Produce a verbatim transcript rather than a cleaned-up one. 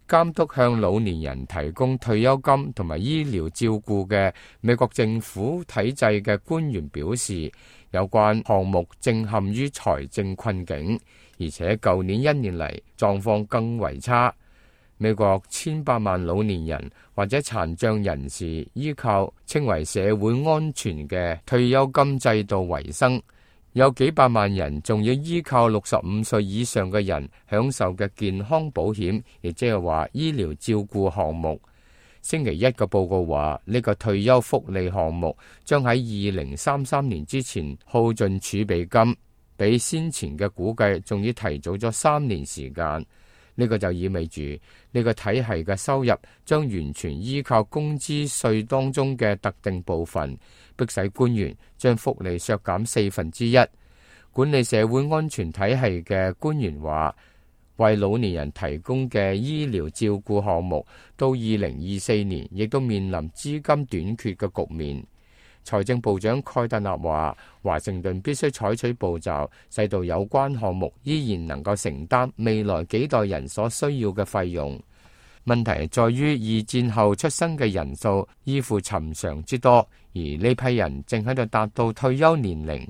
監督向老年人提供退休金同埋醫療照顧嘅美國政府體制嘅官員表示，有關項目正陷於財政困境，而且舊年一年嚟狀況更為差。美國千百萬老年人或者殘障人士依靠稱為社會安全嘅退休金制度為生，有幾百萬人仲要依靠六十五歲以上嘅人享受嘅健康保險，亦即係話醫療照顧項目。星期一嘅報告話，呢個退休福利項目將喺二零三三年之前耗盡儲備金，比先前嘅估計仲要提早咗三年時間。呢個就意味住呢個體系嘅收入將完全依靠工資稅當中嘅特定部分，迫使官員將福利削減四分之一。管理社會安全體系嘅官員話，為老年人提供嘅醫療照顧項目到二零二四年亦都面臨資金短缺嘅局面。財政部長蓋特納話，華盛頓必須採取步驟，使到有關項目依然能夠承擔未來幾代人所需要嘅費用。問題在於二戰後出生嘅人數依附尋常之多，而呢批人正喺度達到退休年齡。